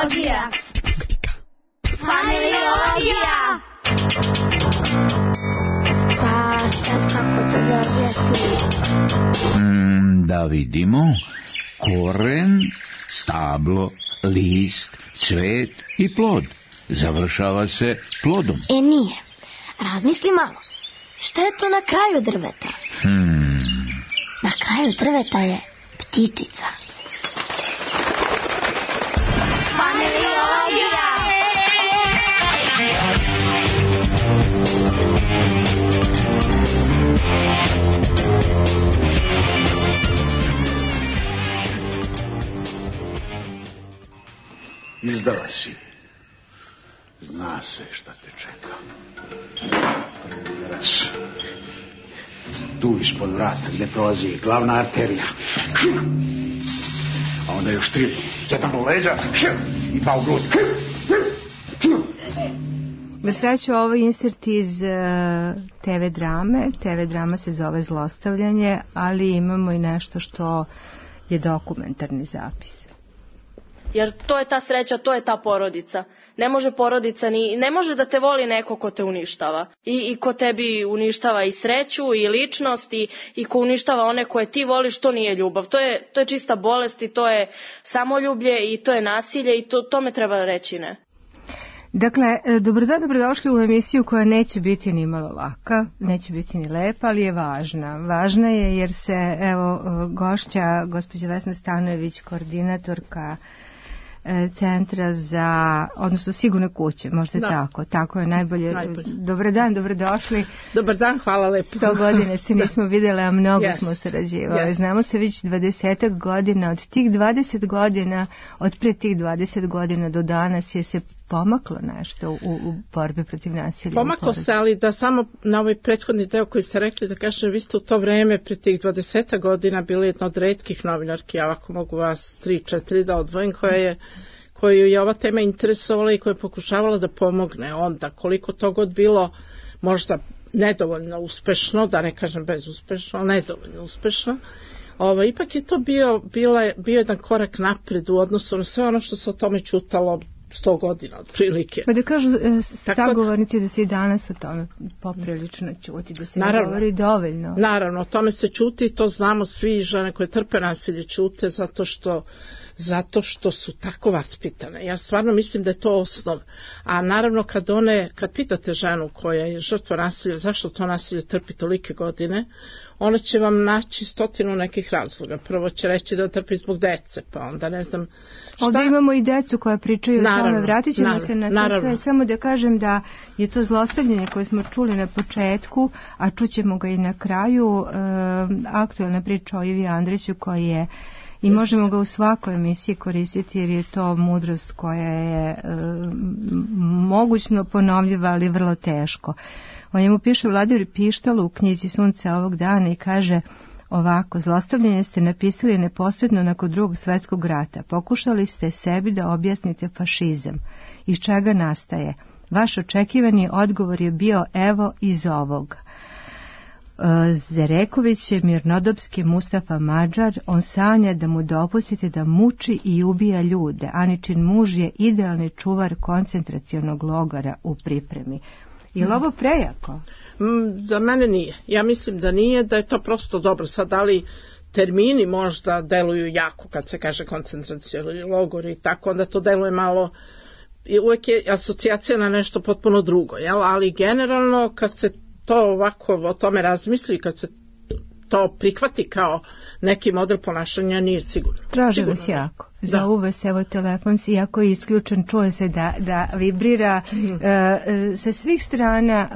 Familiologija. Familiologija. Pa sad kako to da objasnim? Da vidimo. Koren, stablo, list, cvet i plod. Završava se plodom. Nije. Razmisli malo. Šta je to na kraju drveta? Na kraju drveta je ptičica. Familiologija. Izdala si. Zna se šta te čeka. Prvi udarac. Tu ispod vrata gde prolazi glavna arterija. A onda još 3. Jedan u leđa i 2 u grud. Na sreću, ovo je insert iz TV drame. TV drama se zove Zlostavljanje, ali imamo i nešto što je dokumentarni zapis. Jer to je ta sreća, to je ta porodica. Ne može porodica ne može da te voli neko ko te uništava. I ko tebi uništava i sreću i ličnost i ko uništava one koje ti voliš, to nije ljubav. To je čista bolest i to je samoljublje i to je nasilje i tome treba reći ne. Dakle, dobrodošli u emisiju koja neće biti ni malo laka, neće biti ni lepa, ali je važna. Važna je jer se, evo, gošća, gospođa Vesna Stanojević, koordinatorka centra za, odnosno sigurne kuće, možda tako je najbolje. Dobar dan, dobrodošli. Dobar dan, hvala lepo. 100 godina se nismo vidjeli, a mnogo smo sarađivali. Znamo se već 20 godina, od tih 20 godina, od pre tih 20 godina do danas je se pomaklo nešto u borbi protiv nasilja. Pomaklo se, ali da samo na ovaj prethodni deo koji ste rekli, da kažem, vi ste u to vreme pre tih 20 godina bili jedna od retkih novinarki, ja ovako mogu vas 3-4 da odvojim, koju je ova tema interesovala i koja je pokušavala da pomogne onda, koliko to god bilo možda nedovoljno uspešno, da ne kažem bezuspešno, nedovoljno uspešno. Ipak je to bio jedan korak napred u odnosu na sve ono što se o tome čutalo 100 godina otprilike. Pa da kažu sagovornici da se i danas o tome poprilično čuti, da se ne govori dovoljno. Naravno, o tome se čuti i to znamo svi, žene koje trpe nasilje čute zato što su tako vaspitane. Ja stvarno mislim da je to osnov. A naravno kad pitate ženu koja je žrtva nasilja, zašto to nasilje trpi tolike godine, ona će vam naći 100 nekih razloga. Prvo će reći da trpi zbog dece, pa onda ne znam šta. Ovdje imamo i decu koja pričaju o tome. Vratit ćemo se na to sve. Samo da kažem da je to zlostavljanje koje smo čuli na početku, a čućemo ga i na kraju, aktualna priča o Ivi Andriću koji je i možemo ga u svakoj emisiji koristiti jer je to mudrost koja je mogućno ponovljiva, ali vrlo teško. O njemu piše Vladimir Pištalo u knjizi Sunce ovog dana i kaže ovako: zlostavljanje ste napisali neposredno nakon Drugog svjetskog rata. Pokušali ste sebi da objasnite fašizam. Iz čega nastaje? Vaš očekivani odgovor je bio evo iz ovog. Zereković je mirnodopski Mustafa Mađar, on sanja da mu dopustite da muči i ubija ljude. Aničin muž je idealni čuvar koncentracionog logora u pripremi. Je li ovo prejako? Za mene nije. Ja mislim da nije, da je to prosto dobro. Sad, ali termini možda deluju jako kad se kaže koncentracioni logor i tako, onda to deluje malo, uvek je asocijacija na nešto potpuno drugo, jel? Ali generalno kad se to ovako o tome razmisli, kad se to prihvati kao neki model ponašanja, nije sigurno. Traži vas jako. Zovu vas, evo telefon, iako je isključen, čuje se da vibrira. Sa svih strana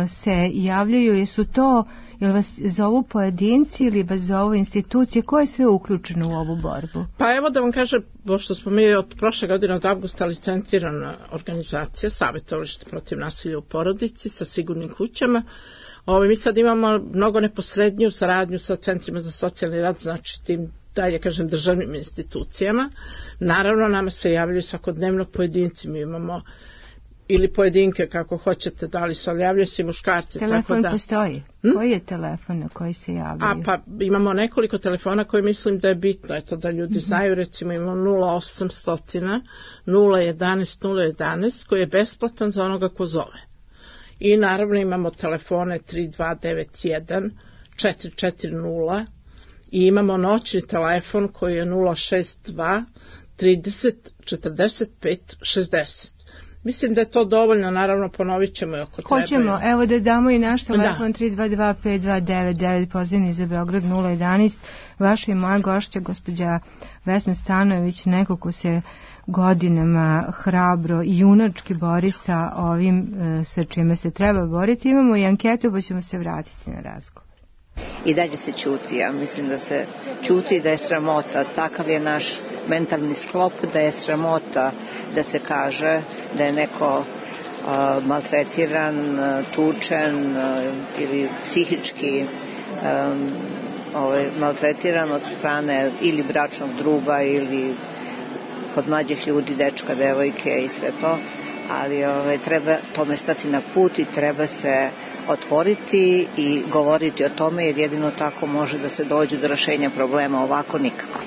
se javljaju, jesu to, jel vas zovu pojedinci ili vas zovu institucije, ko je sve uključeno u ovu borbu? Pa evo da vam kažem, pošto smo mi od prošle godine od avgusta licencirana organizacija, savjetovalište protiv nasilja u porodici sa sigurnim kućama. Mi sad imamo mnogo neposredniju saradnju sa centrima za socijalni rad, znači tim dalje kažem državnim institucijama. Naravno nama se javljaju svakodnevno pojedinci, mi imamo ili pojedinke kako hoćete, da li se javljaju se muškarci. Telefon tako da. Postoji? Koji je telefon na koji se javljaju? Pa imamo nekoliko telefona koji mislim da je bitno, eto da ljudi znaju, recimo imamo 0800 011 011 koji je besplatan za onoga ko zove. I naravno imamo telefone 3291 440 i imamo noćni telefon koji je 062 30 45 60. Mislim da je to dovoljno, naravno ponovit ćemo ako treba. Hoćemo, evo da damo i naš telefon 322-5299, pozivni za Beograd 011. Vaša i moja gošća, gospođa Vesna Stanojević, neko ko se godinama hrabro i junački bori sa ovim sa čime se treba boriti. Imamo i anketu, pa ćemo se vratiti na razgovor. I dalje se ćuti, ja mislim da se ćuti, da je sramota, takav je naš mentalni sklop, da je sramota da se kaže da je neko maltretiran, tučen ili psihički maltretiran od strane ili bračnog druga ili kod mlađih ljudi, dečka, devojke i sve to, ali treba tome stati na put i treba se otvoriti i govoriti o tome, jer jedino tako može da se dođe do rešenja problema, ovako nikako.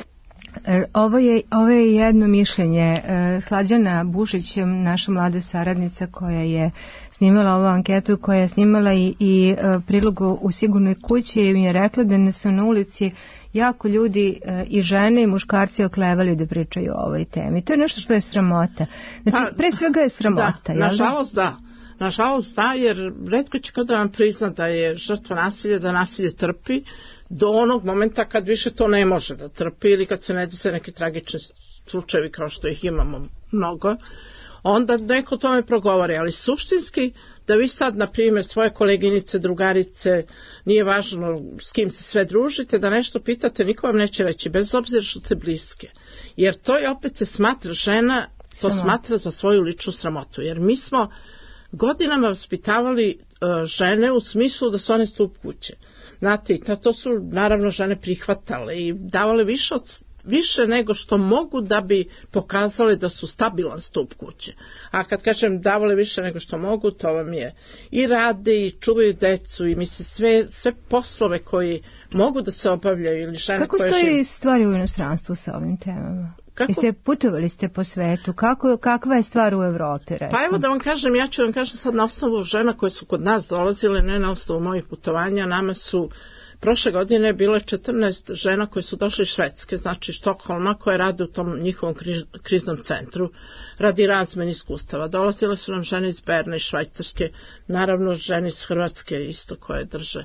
Ovo je jedno mišljenje. Slađana Bušić, naša mlada saradnica koja je snimala ovu anketu, koja je snimala i prilogu u Sigurnoj kući, mi je rekla da su na ulici jako ljudi i žene i muškarci oklevali da pričaju o ovoj temi. To je nešto što je sramota. Znači, pre svega je sramota. Nažalost da, jer retko će kada vam prizna da je žrtva nasilja, da nasilje trpi, do onog momenta kad više to ne može da trpi ili kad se ne dese neki tragični slučajevi kao što ih imamo mnogo, onda neko o tome progovori, ali suštinski da vi sad, na primjer, svoje koleginice, drugarice, nije važno s kim se sve družite, da nešto pitate, niko vam neće reći, bez obzira što ste bliske. Jer to je opet se smatra žena, to smatra za svoju ličnu sramotu, jer mi smo godinama vaspitavali žene u smislu da su one stup kuće. Znate, to su naravno žene prihvatale i davale više nego što mogu da bi pokazale da su stabilan stup kuće. A kad kažem davale više nego što mogu, to vam je i rade i čuvaju decu i misle sve poslove koji mogu da se obavljaju ili žene kako koje stoji stvari u inostranstvu sa ovim temama? Putovali ste po svetu, kakva je stvar u Evropi, recimo? Pa evo da vam kažem, ja ću vam kažem sad na osnovu žena koje su kod nas dolazile, ne na osnovu mojih putovanja, nama su prošle godine bile 14 žena koje su došle iz Švedske, znači Štokholma, koje rade u tom njihovom kriznom centru, radi razmene iskustava. Dolazile su nam žene iz Berna i Švajcarske, naravno žene iz Hrvatske isto koje drže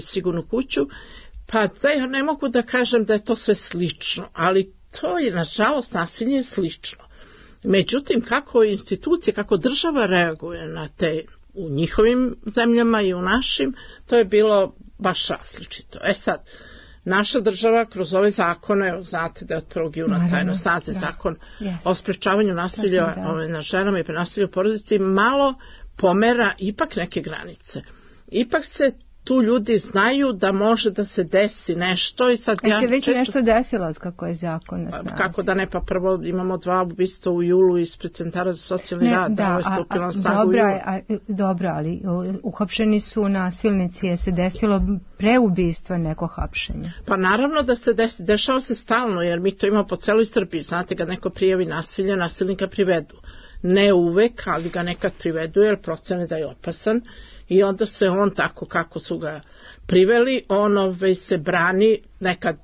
Sigurnu kuću. Pa da ja ne mogu da kažem da je to sve slično, ali to je, nažalost, nasilje slično. Međutim, kako institucije, kako država reaguje na te u njihovim zemljama i u našim, to je bilo baš različito. Sad, naša država kroz ove zakone, znate da je od 1. juna taj na snazi zakon o sprečavanju nasilja na ženama i nasilja u porodici, malo pomera ipak neke granice. Ipak se tu ljudi znaju da može da se desi nešto i sad ja se već nešto desilo od kako je zakon na snazi. Kako da ne, pa prvo imamo 2 ubistva u julu ispred centara za socijalni rad, da ovo je stupilo na snagu u julu. Dobro, ali uhapšeni su nasilnici, je se desilo pre ubistva neko hapšenje? Pa naravno da se dešava se stalno, jer mi to imamo po celoj Srbiji. Znate, kad neko prijavi nasilje, nasilnika privedu. Ne uvek, ali ga nekad privedu jer procene da je opasan. I onda se on tako kako su ga priveli, on se brani, nekad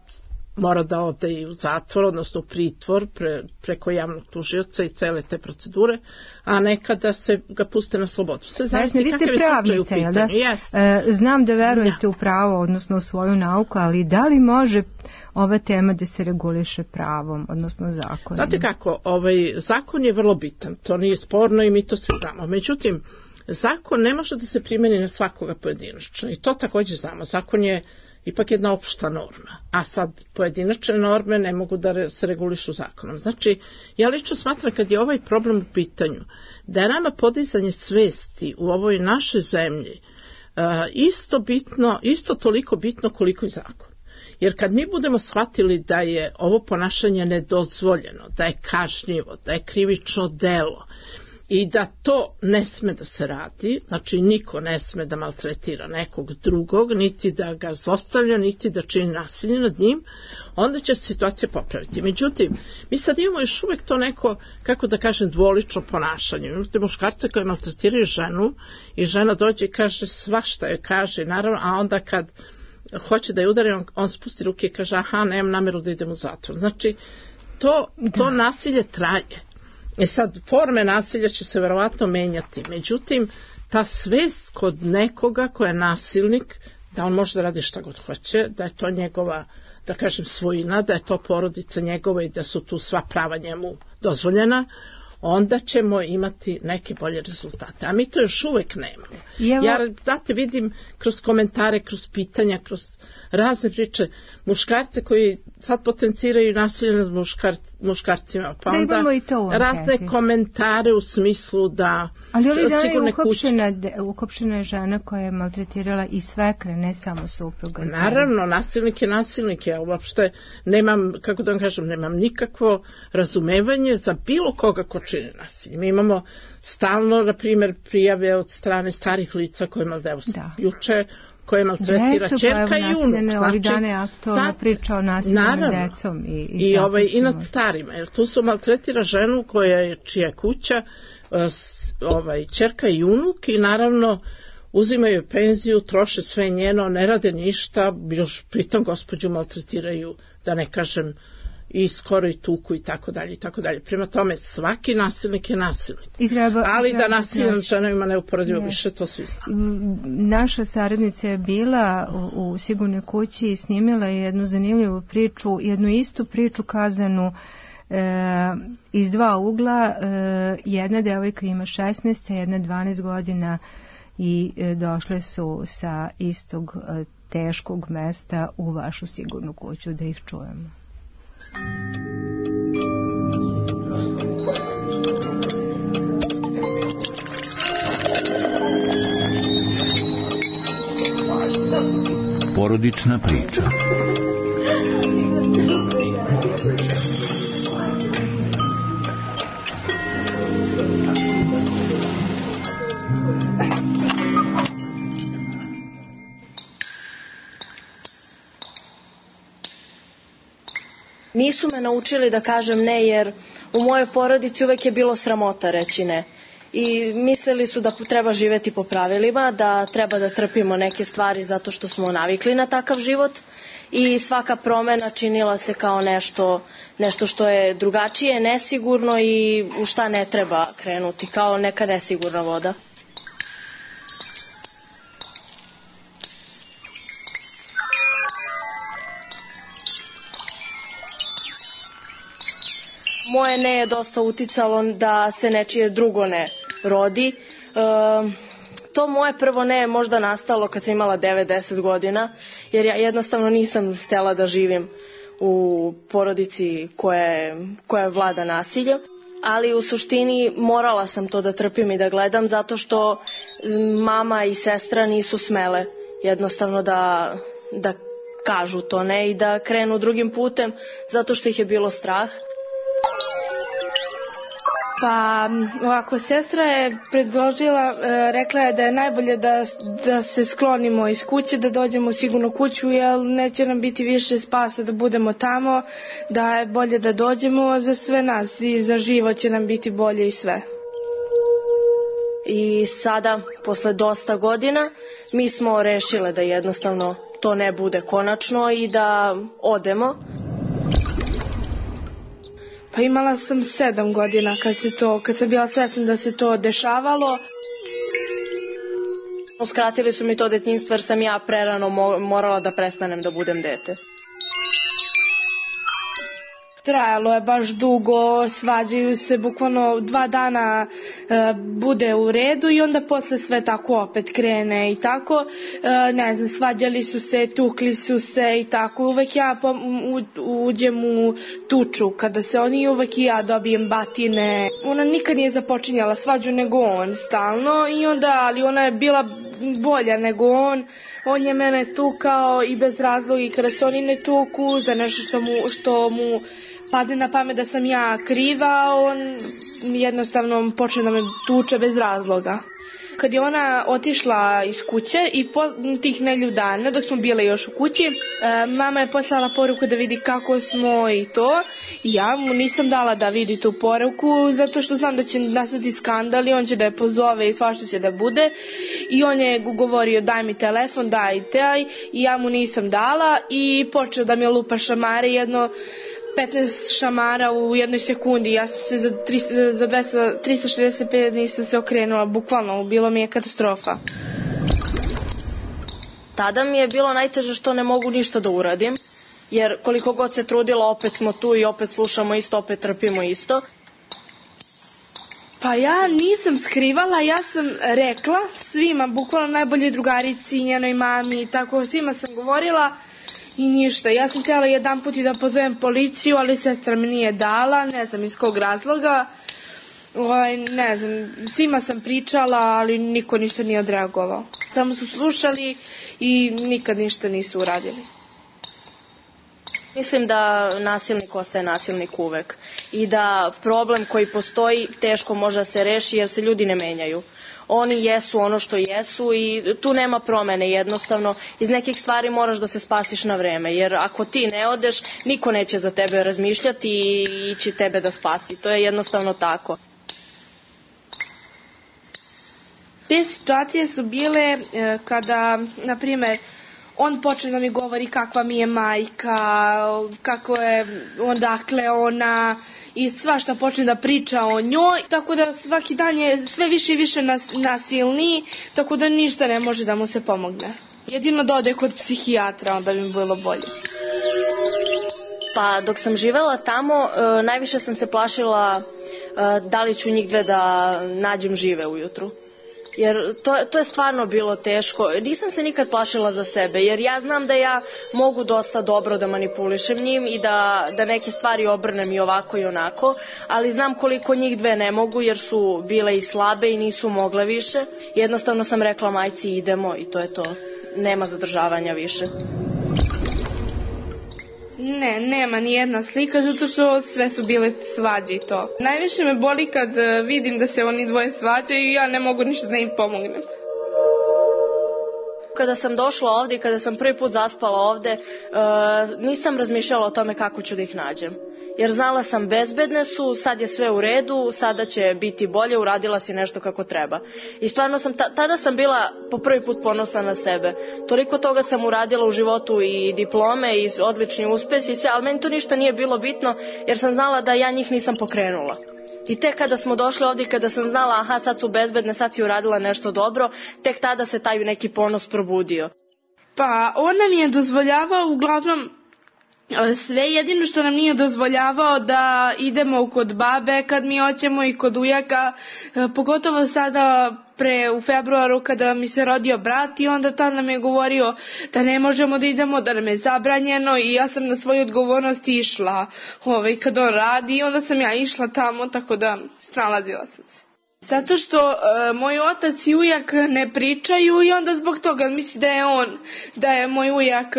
mora da ode i u zatvor, odnosno u pritvor preko javnog tužioca i cele te procedure, a nekada se ga puste na slobodu. Sve zavisi kakav je slučaj u pitanju. Znam da verujete u pravo, odnosno u svoju nauku, ali da li može ova tema da se reguliše pravom, odnosno zakonom? Znate kako, zakon je vrlo bitan, to nije sporno i mi to svi znamo. Međutim, zakon ne može da se primeni na svakoga pojedinačno i to također znamo. Zakon je ipak jedna opšta norma, a sad pojedinačne norme ne mogu da se regulišu zakonom. Znači, ja lično smatram kad je ovaj problem u pitanju, da je nama podizanje svesti u ovoj našoj zemlji isto toliko bitno koliko i zakon. Jer kad mi budemo shvatili da je ovo ponašanje nedozvoljeno, da je kažnjivo, da je krivično delo, i da to ne sme da se radi, znači niko ne sme da maltretira nekog drugog, niti da ga zlostavlja, niti da čini nasilje nad njim, onda će se situacija popraviti. Međutim, mi sad imamo još uvek to neko, kako da kažem, dvolično ponašanje. Imate muškarce koji maltretiraju ženu i žena dođe i kaže svašta je kaže, naravno, a onda kad hoće da je udari, on spusti ruke i kaže aha, nemam nameru da idem u zatvor. Znači, to nasilje traje. Sad, forme nasilja će se verovatno menjati, međutim, ta svest kod nekoga ko je nasilnik, da on može da radi šta god hoće, da je to njegova, da kažem, svojina, da je to porodica njegova i da su tu sva prava njemu dozvoljena, onda ćemo imati neke bolje rezultate. A mi to još uvek nemamo. Ja, date, vidim kroz komentare, kroz pitanja, kroz razne priče, muškarce koji sad potenciraju nasilje nad muškarcima, pa onda razne komentare u smislu da... Ali ovih dana je ukopšena je žena koja je maltretirala i svekre, ne samo supruga. Naravno, nasilnik je nasilnik. Ja uopšte nemam, kako da vam kažem, nemam nikakvo razumevanje za bilo koga ko čini nasilje. Mi imamo stalno, na primjer, prijave od strane starih lica koje juče koje maltretira ćerka i unuk. Ovih dana je aktualna priča o nasilju nad decom i nad starima. Jer tu su maltretira ženu čija je kuća, ćerka i unuk i naravno uzimaju penziju, troše sve njeno, ne rade ništa, još pritom gospođu maltretiraju, da ne kažem, i skoro i tuku i tako dalje i tako dalje. Prema tome, svaki nasilnik je nasilnik. Ali da nasilje nad ženama neuporedivo više, to svi znamo. Naša saradnica je bila u Sigurnoj kući i snimila jednu zanimljivu priču, jednu istu priču kazanu iz dva ugla. Jedna devojka ima 16, jedna 12 godina i došle su sa istog teškog mesta u vašu Sigurnu kuću, da ih čujemo. Porodična priča. Nisu me naučili da kažem ne, jer u mojoj porodici uvek je bilo sramota reći ne. I mislili su da treba živjeti po pravilima, da treba da trpimo neke stvari zato što smo navikli na takav život i svaka promjena činila se kao nešto što je drugačije, nesigurno i u šta ne treba krenuti, kao neka nesigurna voda. Moje ne je dosta uticalo da se nečije drugo ne rodi. To moje prvo ne je možda nastalo kad sam imala 9-10 godina, jer ja jednostavno nisam htjela da živim u porodici koja vlada nasilje. Ali u suštini morala sam to da trpim i da gledam zato što mama i sestra nisu smele jednostavno da kažu to ne i da krenu drugim putem zato što ih je bilo strah. Pa ovako, sestra je predložila, rekla je da je najbolje da se sklonimo iz kuće, da dođemo u Sigurnu kuću, jer neće nam biti više spasa da budemo tamo, da je bolje da dođemo za sve nas i za život će nam biti bolje i sve. I sada, posle dosta godina, mi smo rešile da jednostavno to ne bude konačno i da odemo. Pa imala sam 7 godina kad sam bila svesna da se to dešavalo. Uskratili su mi to detinjstvo jer sam ja prerano morala da prestanem da budem dete. Trajalo je baš dugo, svađaju se, bukvalno 2 dana bude u redu i onda posle sve tako opet krene i tako, ne znam, svađali su se, tukli su se i tako, uvek ja uđem u tuču, kada se oni uvek i ja dobijem batine. Ona nikad nije započinjala svađu nego on stalno i onda, ali ona je bila bolja nego on je mene tukao i bez razloga i kada se oni ne tuku za nešto što mu padne na pamet da sam ja kriva, on jednostavno počne da me tuče bez razloga. Kad je ona otišla iz kuće i tih nedelju dana, dok smo bile još u kući, mama je poslala poruku da vidi kako smo i to. I ja mu nisam dala da vidi tu poruku, zato što znam da će nastati skandal i on će da je pozove i svašta će da bude. I on je govorio daj mi telefon, daj taj, i ja mu nisam dala i počeo da mi lupa šamare, jedno 15 šamara u jednoj sekundi. Ja sam se za 365 nisam se okrenula, bukvalno, bilo mi je katastrofa. Tada mi je bilo najteže što ne mogu ništa da uradim, jer koliko god se trudila, opet smo tu i opet slušamo isto, opet trpimo isto. Pa ja nisam skrivala, ja sam rekla svima, bukvalno najboljoj drugarici, njenoj mami, tako svima sam govorila. I ništa, ja sam htjela jedan put i da pozovem policiju, ali sestra mi nije dala, ne znam iz kog razloga. Ne znam, svima sam pričala, ali niko ništa nije odreagovao. Samo su slušali i nikad ništa nisu uradili. Mislim da nasilnik ostaje nasilnik uvek i da problem koji postoji teško može da se reši jer se ljudi ne menjaju. Oni jesu ono što jesu i tu nema promene, jednostavno iz nekih stvari moraš da se spasiš na vreme, jer ako ti ne odeš, niko neće za tebe razmišljati i ići tebe da spasi, to je jednostavno tako. Te situacije su bile kada, na primjer, on počne da mi govori kakva mi je majka, kako je, odakle ona, i svašta počne da priča o njoj, tako da svaki dan je sve više i više nasilniji, tako da ništa ne može da mu se pomogne. Jedino da ode kod psihijatra, onda bi mi bilo bolje. Pa dok sam živela tamo, najviše sam se plašila da li ću njih dve da nađem žive ujutru. Jer to je stvarno bilo teško. Nisam se nikad plašila za sebe, jer ja znam da ja mogu dosta dobro da manipulišem njim i da neke stvari obrnem i ovako i onako, ali znam koliko njih dve ne mogu, jer su bile i slabe i nisu mogle više. Jednostavno sam rekla majci idemo i to je to. Nema zadržavanja više. Ne, nema ni jedna slika, zato što sve su bile svađe i to. Najviše me boli kad vidim da se oni dvoje svađaju i ja ne mogu ništa da im pomognem. Kada sam došla ovdje i kada sam prvi put zaspala ovdje, nisam razmišljala o tome kako ću da ih nađem. Jer znala sam bezbedne su, sad je sve u redu, sada će biti bolje, uradila si nešto kako treba. I stvarno tada sam bila po prvi put ponosna na sebe. Toliko toga sam uradila u životu i diplome i odlični uspesi i sve, ali meni to ništa nije bilo bitno jer sam znala da ja njih nisam pokrenula. I tek kada smo došli ovdje, kada sam znala aha sad su bezbedne, sad si uradila nešto dobro, tek tada se taj neki ponos probudio. Pa on nam je dozvoljavao uglavnom sve, jedino što nam nije dozvoljavao da idemo kod babe kad mi hoćemo i kod ujaka, pogotovo sada u februaru kada mi se rodio brat i onda tad nam je govorio da ne možemo da idemo, da nam je zabranjeno i ja sam na svoju odgovornost išla kad on radi i onda sam ja išla tamo, tako da snalazila sam se. Zato što moj otac i ujak ne pričaju i onda zbog toga misli da je moj ujak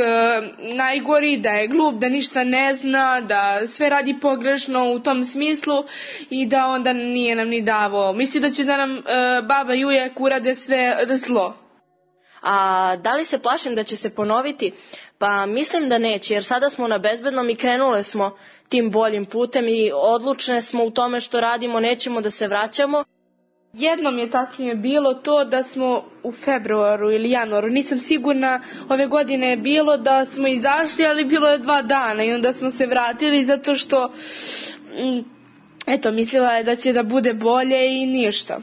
najgori, da je glup, da ništa ne zna, da sve radi pogrešno u tom smislu i da onda nije nam ni davao. Misli da će da nam baba i ujak urade sve zlo. A da li se plašim da će se ponoviti? Pa mislim da neće, jer sada smo na bezbednom i krenule smo tim boljim putem i odlučne smo u tome što radimo, nećemo da se vraćamo. Jednom je tačnije bilo to da smo u februaru ili januaru, nisam sigurna, ove godine je bilo da smo izašli, ali bilo je 2 dana i onda smo se vratili zato što, mislila je da će da bude bolje i ništa.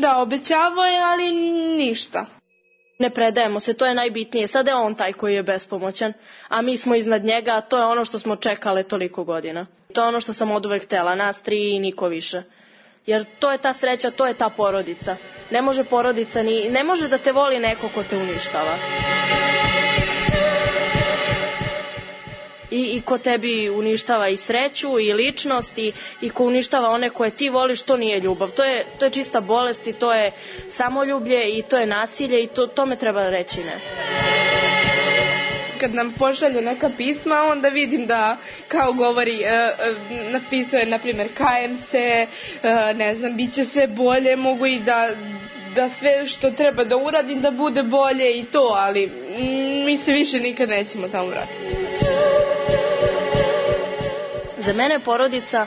Da, obećavao je, ali ništa. Ne predajemo se, to je najbitnije. Sada je on taj koji je bespomoćan, a mi smo iznad njega, a to je ono što smo čekale toliko godina. To je ono što sam oduvek htela, nas 3 i niko više. Jer to je ta sreća, to je ta porodica. Ne može porodica ne može da te voli neko ko te uništava. I ko tebi uništava i sreću i ličnost i ko uništava one koje ti voliš, to nije ljubav. To je čista bolest i to je samoljublje i to je nasilje i tome treba reći ne. kad nam pošalje neka pisma, onda vidim da kao govori, napisao je na primjer kajem se, ne znam, bit će sve bolje, mogu i da sve što treba da uradim da bude bolje i to, ali mi se više nikad nećemo tamo vratiti. Za mene je porodica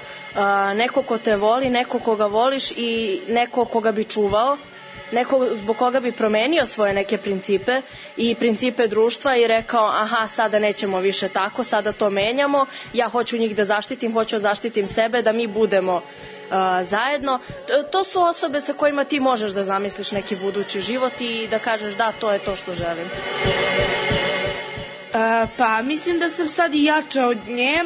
neko ko te voli, neko koga voliš i neko koga bi čuvao, neko zbog koga bi promenio svoje neke principe i principe društva i rekao aha, sada nećemo više tako, sada to menjamo, ja hoću njih da zaštitim, hoću da zaštitim sebe, da mi budemo zajedno. To su osobe sa kojima ti možeš da zamisliš neki budući život i da kažeš da, to je to što želim. Pa mislim da sam sad i jača od nje,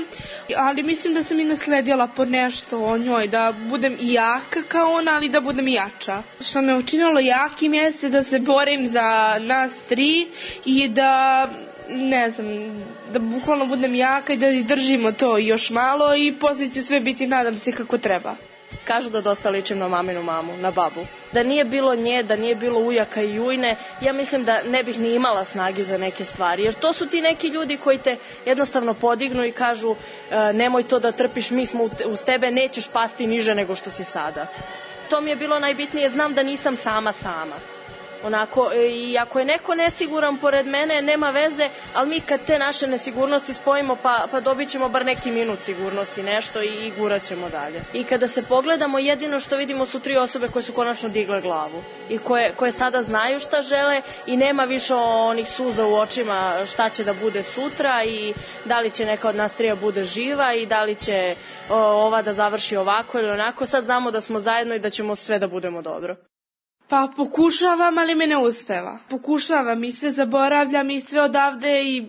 ali mislim da sam i nasledila po nešto o njoj, da budem i jaka kao ona, ali da budem i jača. Što me učinilo jakim jeste da se borim za nas tri i da, ne znam, da bukvalno budem jaka i da izdržimo to još malo i poslije će sve biti, nadam se, kako treba. Kažu da dosta ličim na maminu mamu, na babu. Da nije bilo nje, da nije bilo ujaka i ujne, ja mislim da ne bih ni imala snage za neke stvari. Jer to su ti neki ljudi koji te jednostavno podignu i kažu nemoj to da trpiš, mi smo uz tebe, nećeš pasti niže nego što si sada. To mi je bilo najbitnije, znam da nisam sama. Onako, i ako je neko nesiguran pored mene, nema veze, ali mi kad te naše nesigurnosti spojimo, pa dobit ćemo bar neki minut sigurnosti, nešto i gurat ćemo dalje. I kada se pogledamo, jedino što vidimo su tri osobe koje su konačno digle glavu i koje sada znaju šta žele i nema više onih suza u očima šta će da bude sutra i da li će neka od nas trija bude živa i da li će ova da završi ovako ili onako. Sad znamo da smo zajedno i da ćemo sve da budemo dobro. Pa pokušavam, ali mi ne uspeva. Pokušavam i sve zaboravljam i sve odavde i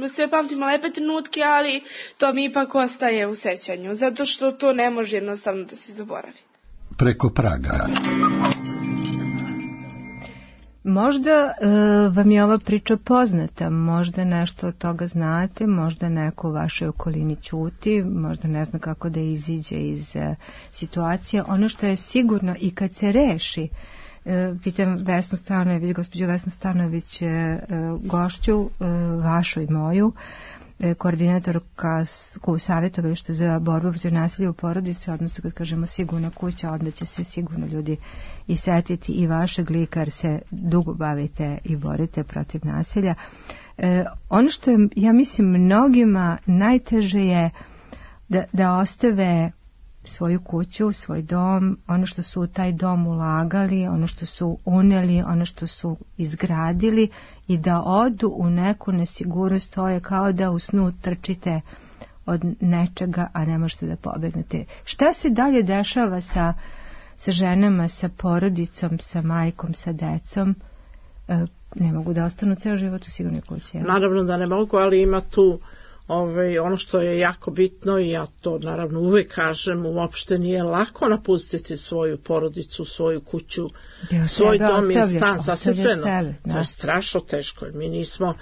sve pamtim lepe trenutke, ali to mi ipak ostaje u sećanju, zato što to ne može jednostavno da se zaboravi. Preko praga. Možda vam je ova priča poznata, možda nešto od toga znate, možda neko u vašoj okolini ćuti, možda ne zna kako da iziđe iz situacije. Ono što je sigurno i kad se reši, pitam Vesnu Stanojević, gospođu Vesnu Stanojević, gošću vašu i moju, koordinatorka u savjetovalištu za borbu protiv nasilja u porodici, odnosno kad kažemo sigurna kuća, onda će se sigurno ljudi i setiti i vašeg lika, jer se dugo bavite i borite protiv nasilja. Ono što je, ja mislim, mnogima najteže je da ostave svoju kuću, svoj dom, ono što su u taj dom ulagali, ono što su uneli, ono što su izgradili i da odu u neku nesigurnost. To je kao da u snu trčite od nečega, a ne možete da pobegnete. Šta se dalje dešava sa ženama, sa porodicom, sa majkom, sa decom? Ne mogu da ostanu ceo život u sigurnoj kući. Naravno da ne mogu, ali ima tu ono što je jako bitno i ja to naravno uvek kažem, uopšte nije lako napustiti svoju porodicu, svoju kuću, svoj dom i stan, sasvim sve. To je strašno teško. Mi nismo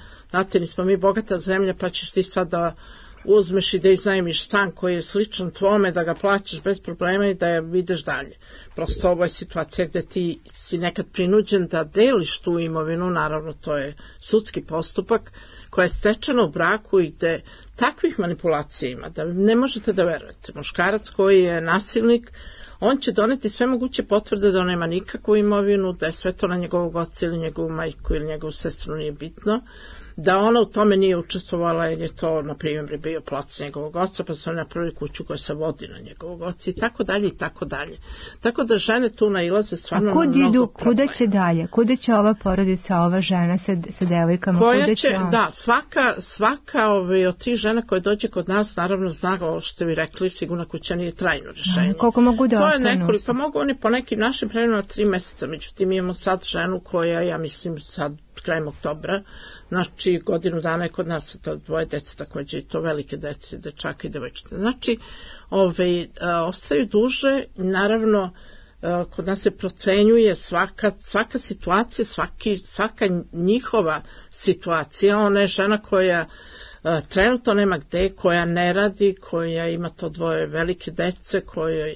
mi bogata zemlja, pa ćeš ti sad da uzmeš i da iznajmiš stan koji je sličan tvome, da ga plaćaš bez problema i da ideš dalje. Prosto ovo je situacija gde ti si nekad prinuđen da deliš tu imovinu, naravno to je sudski postupak koja je stečena u braku i gde takvih manipulacija ima da ne možete da verujete. Muškarac koji je nasilnik, on će doneti sve moguće potvrde da on nema nikakvu imovinu, da je sve to na njegovog oca ili njegovu majku ili njegovu sestru, nije bitno, da ona u tome nije učestvovala jer je to, na primjer, bio plac njegovog oca, pa su oni napravili kuću koja se vodi na njegovog oca i tako dalje i tako dalje. Tako da žene tu nailaze stvarno na mnogo problema. Kuda će dalje? Kuda će ova porodica, ova žena sa devojkama? Koja će, da, svaka od tih žena koje dođe kod nas, naravno zna, ovo što ste vi rekli, sigurna kuća nije trajno rješenje. Koliko mogu da ostanu? To je nekoliko, mogu oni po nekim našim pravilima 3 meseca, međutim imamo sad ženu koja, ja mislim sad krajem oktobra, znači godinu dana je kod nas to 2 dece, također i to velike dece, dečaka i devojčice. Znači, ostaju duže, naravno, kod nas se procenjuje svaka situacija, svaka njihova situacija. Ona je žena koja trenutno nema gde, koja ne radi, koja ima to 2 velike dece, kojoj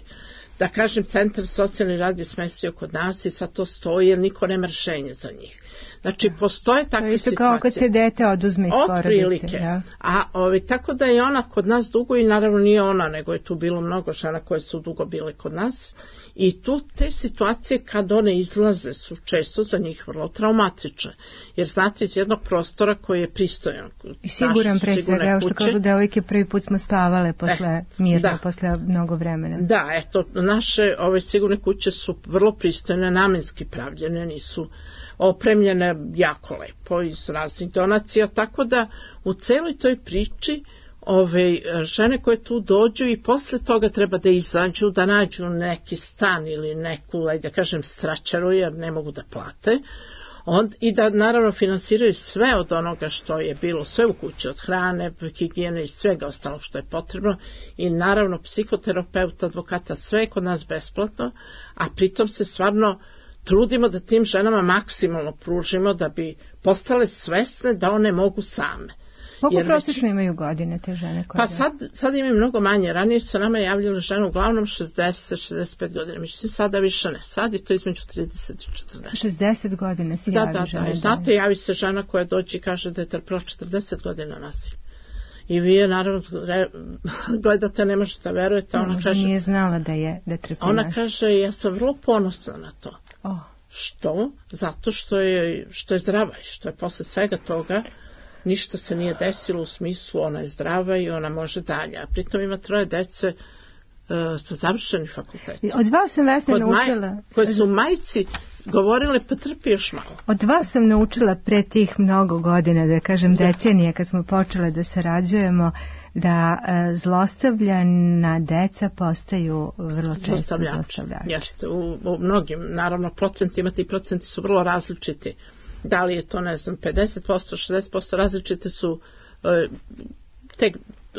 da kažem, centar socijalni rad je smestio kod nas i sad to stoji jer niko nema rješenje za njih. Znači, postoje takve situacije. Kao kad se dete oduzme iz porodice. Ja. A tako da je ona kod nas dugo i naravno nije ona, nego je tu bilo mnogo žena koje su dugo bile kod nas. I tu te situacije kad one izlaze su često za njih vrlo traumatične. Jer znate, iz jednog prostora koji je pristojan. I siguran presvega, evo što kažu devojke, prvi put smo spavale posle mirno, posle mnogo vremena. Da, eto, naše sigurne kuće su vrlo pristojne, namenski pravljene, nisu opremljene jako lepo iz raznih donacija, tako da u celoj toj priči žene koje tu dođu i posle toga treba da izađu, da nađu neki stan ili neku, da kažem, stračaru, jer ne mogu da plate, i da naravno finansiraju sve od onoga što je bilo, sve u kući, od hrane, higijene i svega ostalog što je potrebno, i naravno psihoterapeuta, advokata, sve je kod nas besplatno, a pritom se stvarno trudimo da tim ženama maksimalno pružimo da bi postale svesne da one mogu same. Koliko prosječno imaju godine te žene? Pa sad imaju mnogo manje. Ranije su nama javljale žene uglavnom 60-65 godina. Međutim, sada više ne. Sad je to između 30 i 40. 60 godina se javi žene. Da. Znate, javi se žena koja dođe i kaže da je trpila 40 godina nasilja. I vi je naravno gledate, ne možete verujete. Ona kaže, nije znala da je trpila. Ona kaže, ja sam vrlo ponosna na to. Što? Zato što je zdrava i što je posle svega toga ništa se nije desilo, u smislu ona je zdrava i ona može dalje. A pritom ima 3 dece sa završenim fakultetom. Od vas sam, Vesna, naučila... Koje su majci govorile, pa trpi još malo. Od vas sam naučila pre tih mnogo godina, da kažem decenije, kad smo počele da sarađujemo, da zlostavljana deca postaju vrlo često zlostavljači. Jeste, u mnogim, naravno, procentima, ti procenti su vrlo različiti. Da li je to, ne znam, 50%, 60%, različite su te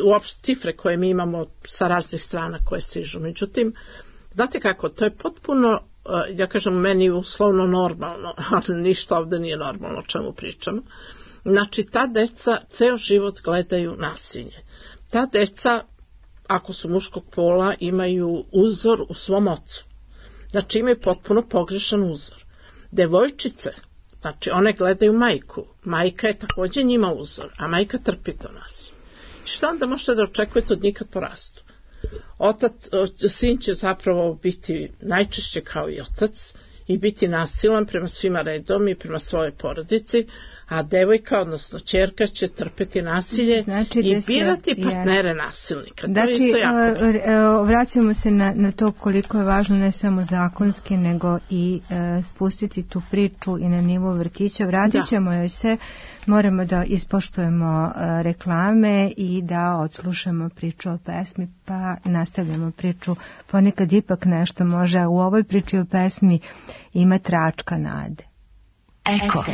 uopšte cifre koje mi imamo sa raznih strana koje stižu. Međutim, znate kako, to je potpuno, ja kažem, meni uslovno normalno, ali ništa ovdje nije normalno o čemu pričamo. Znači, ta deca ceo život gledaju nasilje. Ta deca, ako su muškog pola, imaju uzor u svom ocu. Znači, imaju potpuno pogrešan uzor. Devojčice, znači, one gledaju majku. Majka je također njima uzor, a majka trpi to nasilje. Što onda možete da očekujete od njih kad porastu? Sin će zapravo biti najčešće kao i otac i biti nasilan prema svima redom i prema svojoj porodici, a devojka, odnosno ćerka, će trpeti nasilje i birati partnere nasilnika. Znači, vraćamo se na to koliko je važno ne samo zakonski, nego i spustiti tu priču i na nivo vrtića. Vratit ćemo joj se, moramo da ispoštujemo reklame i da odslušamo priču o pesmi, pa nastavljamo priču. Ponekad ipak nešto može u ovoj priči o pesmi ima tračka nade. Eko.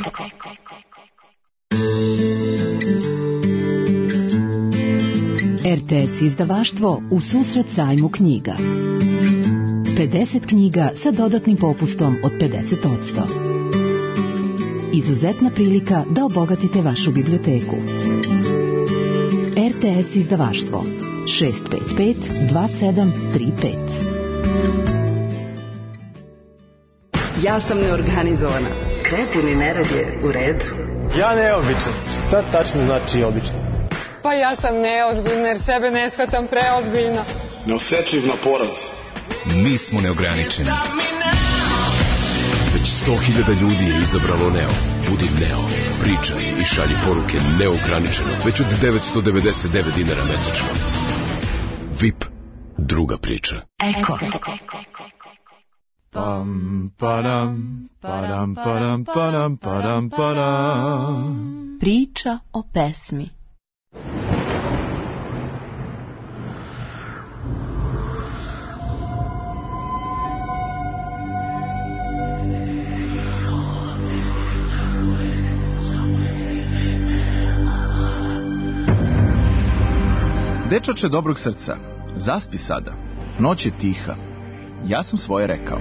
RTS izdavaštvo u susret sajmu knjiga. 50 knjiga sa dodatnim popustom od 50%. Izuzetna prilika da obogatite vašu biblioteku. RTS izdavaštvo 655 2735. Ja sam neorganizovana. Kreativni nerad je u redu. Ja neobičan. Šta tačno znači obično? Pa ja sam neozbiljna jer sebe ne shvatam preozbiljno. Neosetljiv na poraz. Mi smo neograničeni. Već 100.000 ljudi je izabralo Neo. Budi Neo. Pričaj i šalji poruke neograničeno. Već od 999 dinara mesečno. VIP. Druga priča. Eko. Pam, padam, padam, padam, padam, padam, padam. Priča o pesmi. Dečače dobrog srca, zaspi sada. Noć je tiha. Ja sam svoje rekao.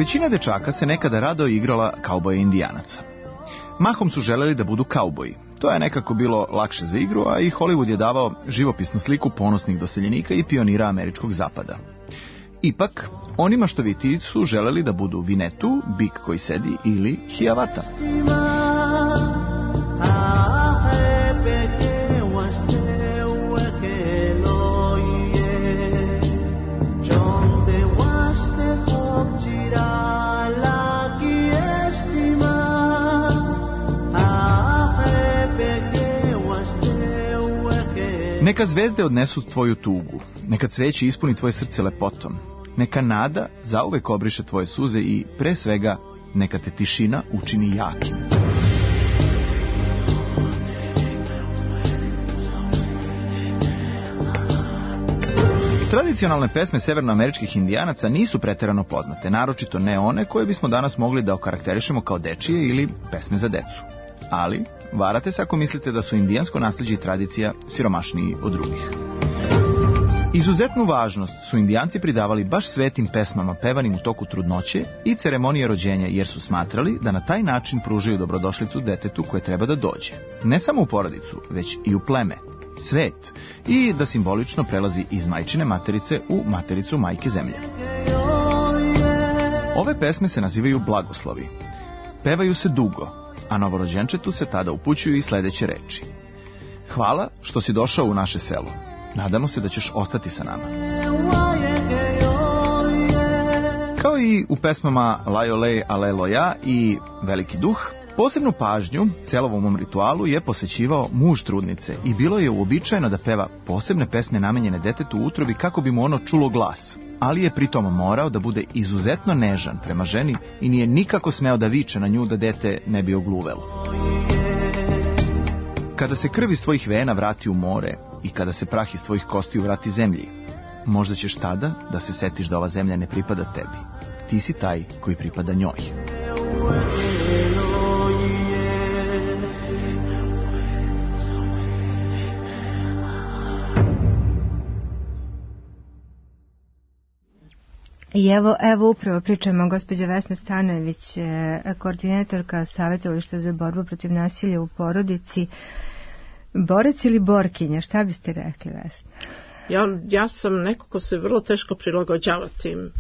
Većina dečaka se nekada rado igrala kauboja indijanaca. Mahom su želeli da budu kauboji. To je nekako bilo lakše za igru, a i Hollywood je davao živopisnu sliku ponosnih doseljenika i pionira američkog zapada. Ipak, onima što viti su želeli da budu Vinetu, bik koji sedi, ili Hiawatha. Neka zvezde odnesu tvoju tugu, neka cveće ispuni tvoje srce lepotom, neka nada zauvek obriše tvoje suze i, pre svega, neka te tišina učini jakim. Tradicionalne pesme severnoameričkih indijanaca nisu preterano poznate, naročito ne one koje bismo danas mogli da okarakterišemo kao dečije ili pesme za decu. Ali varate se ako mislite da su indijansko nasleđe i tradicija siromašniji od drugih. Izuzetnu važnost su indijanci pridavali baš svetim pesmama pevanim u toku trudnoće i ceremonije rođenja, jer su smatrali da na taj način pružaju dobrodošlicu detetu koje treba da dođe. Ne samo u porodicu, već i u pleme, svet, i da simbolično prelazi iz majčine materice u matericu majke zemlje. Ove pesme se nazivaju blagoslovi. Pevaju se dugo, a novorođenčetu se tada upućuju i sledeće reči. Hvala što si došao u naše selo. Nadamo se da ćeš ostati sa nama. Kao i u pesmama Lajolej Aleloja i Veliki duh, posebnu pažnju celovom ritualu je posvećivao muž trudnice i bilo je uobičajeno da peva posebne pesme namenjene detetu u utrobi kako bi mu ono čulo glas, ali je pritom morao da bude izuzetno nežan prema ženi i nije nikako smeo da viče na nju da dete ne bi ogluvelo. Kada se krv iz tvojih vena vrati u more i kada se prah iz tvojih kostiju vrati zemlji, možda ćeš tada da se setiš da ova zemlja ne pripada tebi. Ti si taj koji pripada njoj. I evo upravo pričamo, gospođa Vesna Stanojević, koordinatorka Savjetovališta za borbu protiv nasilja u porodici. Borac ili borkinja, šta biste rekli, Vesna? Ja sam neko ko se vrlo teško prilagođava tim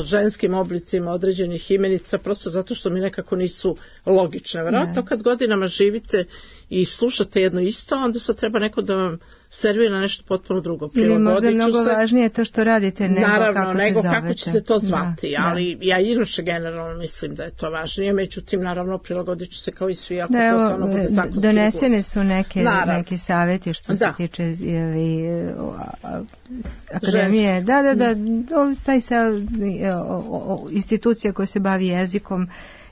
ženskim oblicima određenih imenica, prosto zato što mi nekako nisu logične. Vjerojatno kad godinama živite i slušate jedno isto, onda sad treba neko da vam servira nešto potpuno drugo. Ili možda je mnogo važnije to što radite nego kako će se to zvati, ali ja inače generalno mislim da je to važnije, međutim naravno prilagodit ću se kao i svi ako to stvarno bude zakonski. Donesene su neki savjeti što se tiče akademije. Da, taj institucija koja se bavi jezikom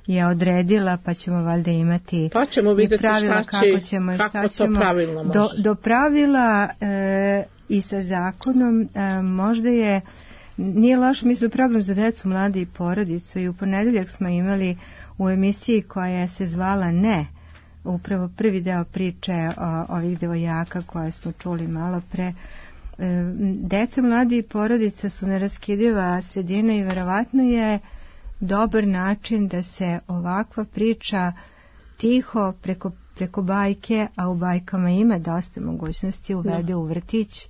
je odredila, pa ćemo valjda imati pa ćemo vidjeti pravila kako to pravilno može. Do pravila i sa zakonom možda nije loš, mislim, program za decu, mlade i porodicu, i u ponedeljak smo imali u emisiji koja se zvala Ne, upravo prvi deo priče o ovih devojaka koje smo čuli malo pre. Deca, mladi i porodica su neraskidiva sredina i verovatno je dobar način da se ovakva priča tiho preko bajke, a u bajkama ima dosta mogućnosti, uvede u vrtić,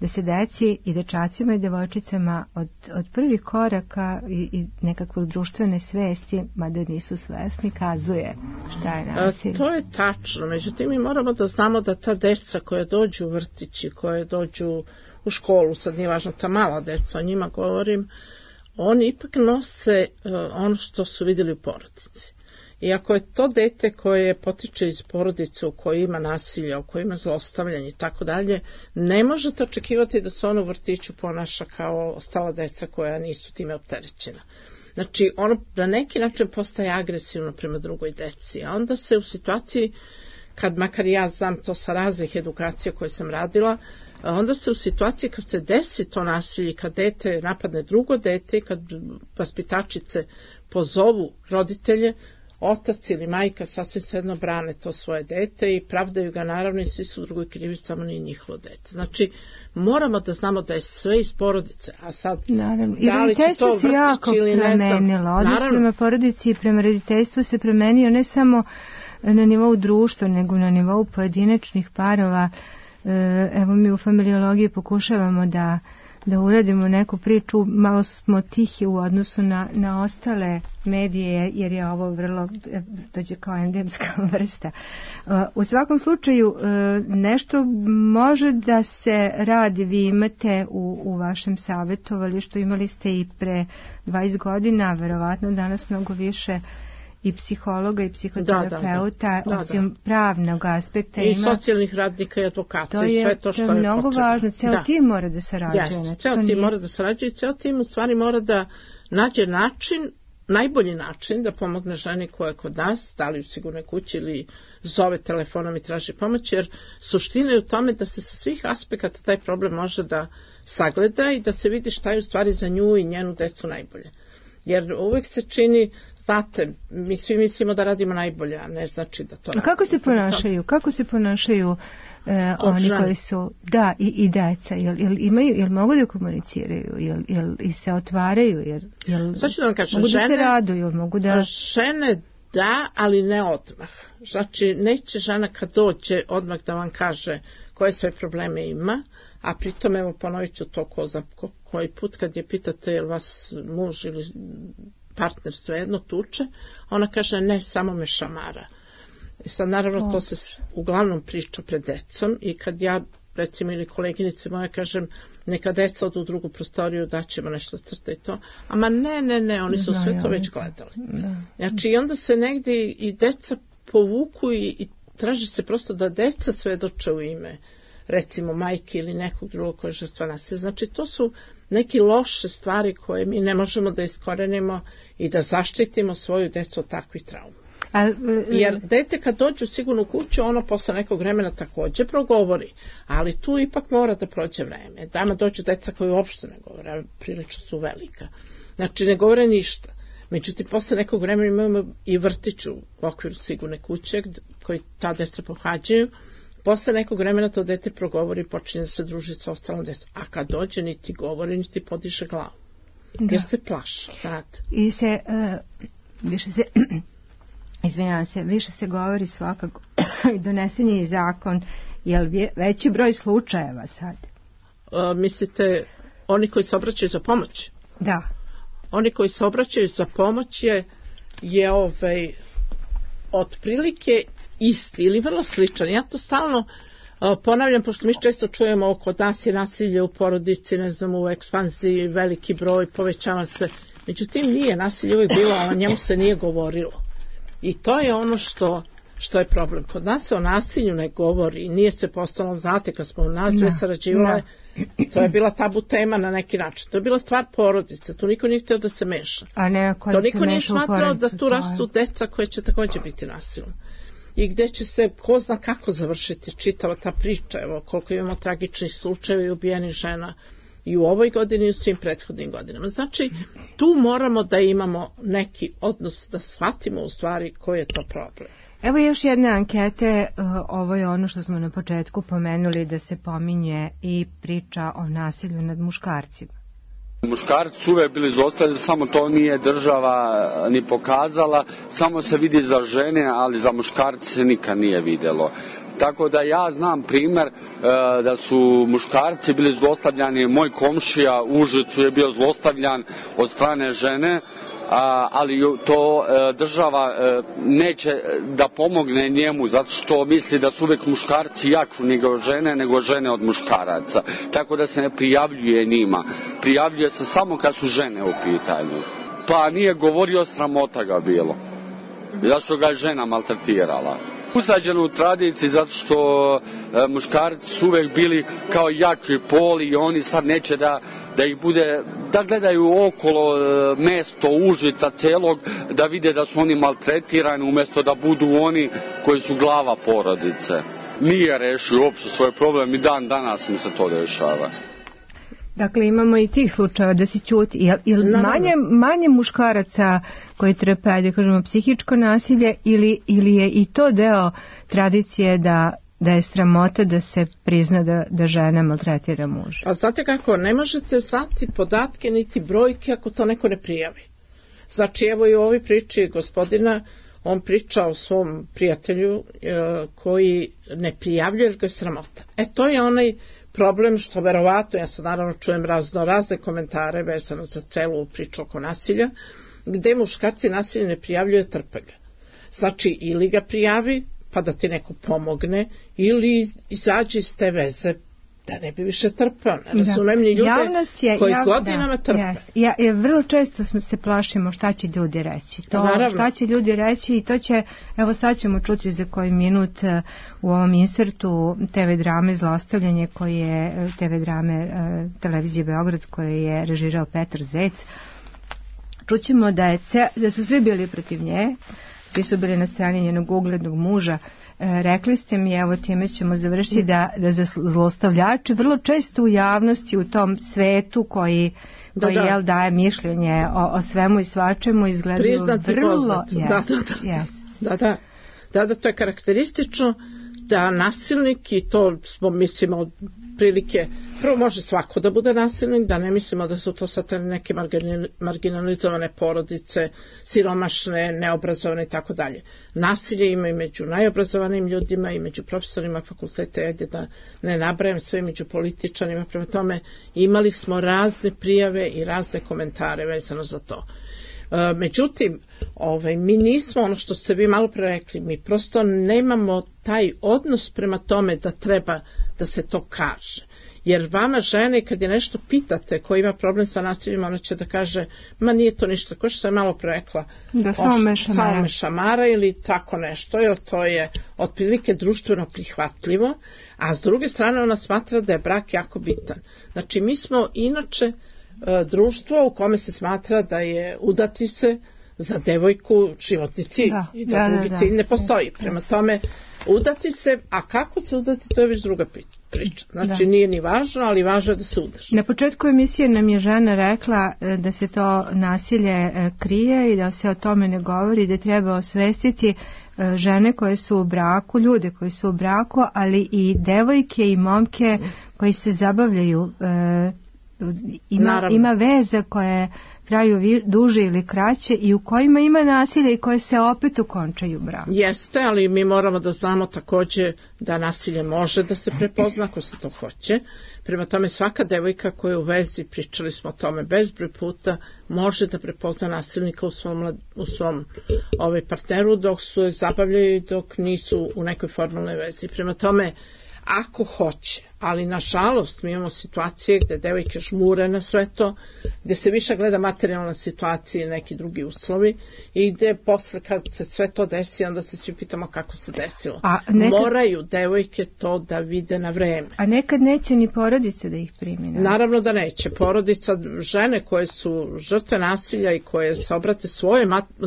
da se deci i dečacima i devojčicama od prvih koraka i nekakve društvene svesti, mada nisu svesni, kazuje šta je nasilje. To je tačno, međutim mi moramo da znamo da ta deca koja dođu u vrtići, koje dođu u školu, sad nije važno ta mala deca, o njima govorim, oni ipak nose ono što su vidjeli u porodici. I ako je to dete koje potiče iz porodice u kojoj ima nasilja, u kojoj ima zlostavljanje i tako dalje, ne možete očekivati da se ono u vrtiću ponaša kao ostala deca koja nisu time opterećena. Znači, ono na neki način postaje agresivno prema drugoj deci. A onda se u situaciji, kad makar ja znam to sa raznih edukacija koje sam radila, onda se u situaciji kad se desi to nasilje, kad dete napadne drugo dete, kad vaspitačice pozovu roditelje, otac ili majka sasvim svejedno brane to svoje dete i pravdaju ga naravno i svi su drugoj krivi, samo nije njihovo dete. Znači, moramo da znamo da je sve iz porodice, a sad naravno. Da li će to vrtić ili ne znam. Odnos prema porodici i prema roditeljstvu se promenio ne samo na nivou društva, nego na nivou pojedinačnih parova. Evo mi u familiologiji pokušavamo da uradimo neku priču, malo smo tihi u odnosu na ostale medije, jer je ovo vrlo, dođe kao endemska vrsta. U svakom slučaju, nešto može da se radi, vi imate u vašem savjetovalištu, imali ste i pre 20 godina, verovatno danas mnogo više i psihologa i psihoterapeuta, osim pravnog aspekta. I socijalnih radnika i advokata i sve to što je potrebno. To je mnogo važno, ceo tim mora da sarađuje. Ceo tim mora da sarađuje i ceo tim u stvari mora da nađe način, najbolji način da pomogne ženi koja je kod nas, da li u sigurnoj kući ili zove telefonom i traži pomoć, jer suština je u tome da se sa svih aspekata taj problem može da sagleda i da se vidi šta je u stvari za nju i njenu decu najbolje. Jer uvijek se čini, znate, mi svi mislimo da radimo najbolje, a ne znači da to radimo. Kako se ponašaju oni koji su, i deca, jel mogu da komuniciraju, jel se otvaraju, jel znači da vam kažem, mogu da se raduju, mogu da... Žene da, ali ne odmah. Znači, neće žena kad dođe odmah da vam kaže koje sve probleme ima, a pritom, evo, ponovit ću to koji put kad je pitate jel vas muž ili partner svejedno tuče, ona kaže ne, samo me šamara. I sad naravno to se uglavnom priča pred decom i kad ja recimo ili koleginice moje kažem neka deca odu u drugu prostoriju, daćemo nešto crta i to, ama ne, oni su sve to već gledali. Znači i onda se negdje i deca povuku i traži se prosto da deca svedoče u ime recimo majke ili nekog drugog koji je žrtva nasilja. Znači to su neke loše stvari koje mi ne možemo da iskorenimo i da zaštitimo svoju decu od takvih trauma. Jer dete kad dođe u sigurnu kuću, ono posle nekog vremena također progovori, ali tu ipak mora da prođe vreme. Dama dođu deca koji uopšte ne govore, prilično su velika. Znači ne govore ništa. Međutim, posle nekog vremena imamo i vrtić u okviru sigurne kuće koji ta deca pohađaju. Posle nekog vremena to dete progovori i počinje da se druži sa ostalom decom. A kad dođe niti govori, niti podiže glavu. Jer se plaša, znate. I više se govori svakako i donesen je i zakon, jel veći broj slučajeva sad? Mislite, oni koji se obraćaju za pomoć? Da. Oni koji se obraćaju za pomoć je otprilike isti ili vrlo sličan. Ja to stalno ponavljam, pošto mi često čujemo oko nas je nasilje u porodici, ne znam, u ekspanziji, veliki broj, povećava se. Međutim, nije nasilje uvijek bilo, ali o njemu se nije govorilo. I to je ono što je problem. Kod nas se o nasilju ne govori, nije se postalo, znate, kad smo u nas dve sarađivale, to je bila tabu tema na neki način. To je bila stvar porodice, tu niko nije htio da se meša. To niko nije smatrao da tu rastu deca koje će također biti nasilne. I gdje će se, ko zna kako završiti čitava ta priča, evo koliko imamo tragičnih slučajeva i ubijenih žena i u ovoj godini i u svim prethodnim godinama. Znači, tu moramo da imamo neki odnos, da shvatimo u stvari koji je to problem. Evo još jedne ankete, ovo je ono što smo na početku pomenuli, da se pominje i priča o nasilju nad muškarcima. Muškarci su uvijek bili izostavljeni, samo to nije država ni pokazala, samo se vidi za žene, ali za muškarce se nikad nije vidjelo. Tako da ja znam primjer da su muškarci bili zlostavljani, moj komšija u Užicu je bio zlostavljan od strane žene, ali to država neće da pomogne njemu zato što misli da su uvijek muškarci jači nego žene od muškaraca. Tako da se ne prijavljuje njima. Prijavljuje se samo kad su žene u pitanju. Pa nije govorio, sramota ga bilo. Zato što ga je žena maltretirala. Usađeno u tradiciji zato što muškarci su uvijek bili kao jači pol i oni sad neće da ih bude, da gledaju okolo mesto Užica celog, da vide da su oni maltretirani umjesto da budu oni koji su glava porodice. Nije rešio uopšte svoj problem i dan danas mu se to dešava. Dakle, imamo i tih slučajeva da se ćuti. Jel manje muškaraca koji trpe, da kažemo, psihičko nasilje ili je i to deo tradicije da je sramota da se prizna da žena maltretira muža? A znate kako, ne možete znati podatke niti brojke ako to neko ne prijavi. Znači, evo i u ovoj priči gospodina, on priča o svom prijatelju koji ne prijavljuje jer ga je sramota. To je onaj problem što verovatno, ja sad naravno čujem razne komentare vezano za celu priču oko nasilja, gde muškarci nasilje ne prijavljuje, trpe ga. Znači, ili ga prijavi, pa da ti neko pomogne, ili izađi iz te veze, da ne bi više trpao. Ne razumem ni ljude koji godinama trpe. Vrlo često se plašimo šta će ljudi reći. Šta će ljudi reći i to će, evo sad ćemo čuti za koji minut u ovom insertu TV drame Zlostavljanje, koji je TV drame televizije Beograd, koje je režirao Petar Zec. Čućemo da su svi bili protiv nje, svi su bili na strani njenog uglednog muža. Rekli ste mi, evo time ćemo završiti, da za zlostavljači vrlo često u javnosti, u tom svetu koji daje mišljenje o svemu i svačemu, izgledaju priznati vrlo... Da, to je karakteristično da nasilnik, i to smo mislimo od prilike, prvo može svako da bude nasilnik, da ne mislimo da su to sad neke marginalizovane porodice, siromašne, neobrazovane i tako dalje. Nasilje ima i među najobrazovanim ljudima i među profesorima fakulteta, da ne nabrajam sve, među političarima, prema tome imali smo razne prijave i razne komentare vezano za to. Međutim, mi nismo, ono što ste vi malo pre rekli, mi prosto nemamo taj odnos prema tome da treba da se to kaže. Jer vama žene, kad je nešto pitate ko ima problem sa nasiljem, ona će da kaže, ma nije to ništa, ko što sam malo pre rekla, samo me šamara ili tako nešto, jer to je otprilike društveno prihvatljivo, a s druge strane ona smatra da je brak jako bitan. Znači, mi smo inače društvo u kome se smatra da je udati se za devojku životni cilj i da drugi cilj ne postoji. Prema tome, udati se, a kako se udati, to je već druga priča. Znači, nije ni važno, ali važno je da se udaš. Na početku emisije nam je žena rekla da se to nasilje krije i da se o tome ne govori, da treba osvestiti žene koje su u braku, ljude koji su u braku, ali i devojke i momke koji se zabavljaju. Ima veze koje traju duže ili kraće i u kojima ima nasilje i koje se opet ukončaju braku. Jeste, ali mi moramo da znamo također da nasilje može da se prepozna ako se to hoće. Prema tome, svaka devojka koja je u vezi, pričali smo o tome bezbroj puta, može da prepozna nasilnika u svom partneru dok su je zabavljaju i dok nisu u nekoj formalnoj vezi. Prema tome, ako hoće, ali nažalost mi imamo situacije gde devojke žmure na sve to, gde se više gleda materijalna situacija i neki drugi uslovi i gde posle kad se sve to desi, onda se svi pitamo kako se desilo. Moraju devojke to da vide na vreme. A nekad neće ni porodice da ih primi. Naravno da neće. Porodica, žene koje su žrtve nasilja i koje se obrate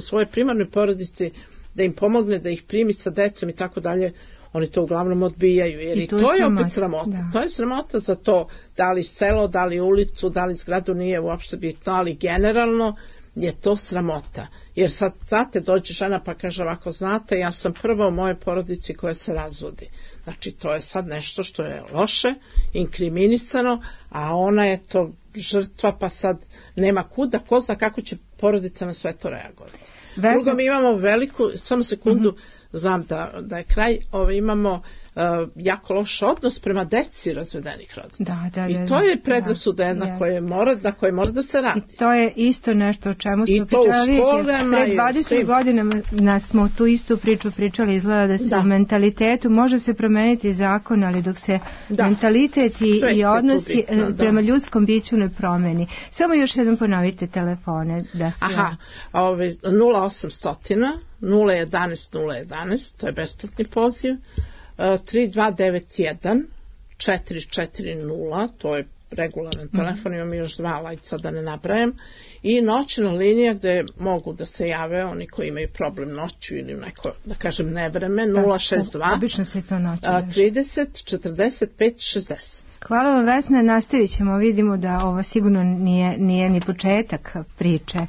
svoje primarnoj porodici da im pomogne, da ih primi sa decom i tako dalje, oni to uglavnom odbijaju, jer i to je opet sramota. Da. To je sramota za to, da li selo, da li ulicu, da li zgradu, nije uopšte bitno, ali generalno je to sramota. Jer sad, znate, dođe žena pa kaže ovako, znate, ja sam prva u mojoj porodici koja se razvodi. Znači, to je sad nešto što je loše, inkriminisano, a ona je to žrtva, pa sad nema kuda, ko zna kako će porodica na sve to reagovati. Drugo, mi imamo veliku, samo sekundu, znam da je kraj, imamo jako loš odnos prema deci razvedenih roditelja. I to je predrasuda jedna koja mora da se radi. I to je isto nešto o čemu smo pričali. Pre 20 godina smo tu istu priču pričali, izgleda da se u mentalitetu može se promeniti zakon, ali dok se mentalitet i odnosi prema ljudskom biću ne promeni. Samo još jednom ponovite telefone. 0800 011 011, to je besplatni poziv. 3291 440, to je regularan telefon, imam još 2 lajca da ne nabrajem, i noćna linija gde mogu da se jave oni koji imaju problem noću ili neko, da kažem, nevreme, 062 obično se to noći 30 45 60. Hvala vam, Vesna, nastavit ćemo, vidimo da ovo sigurno nije ni početak priče.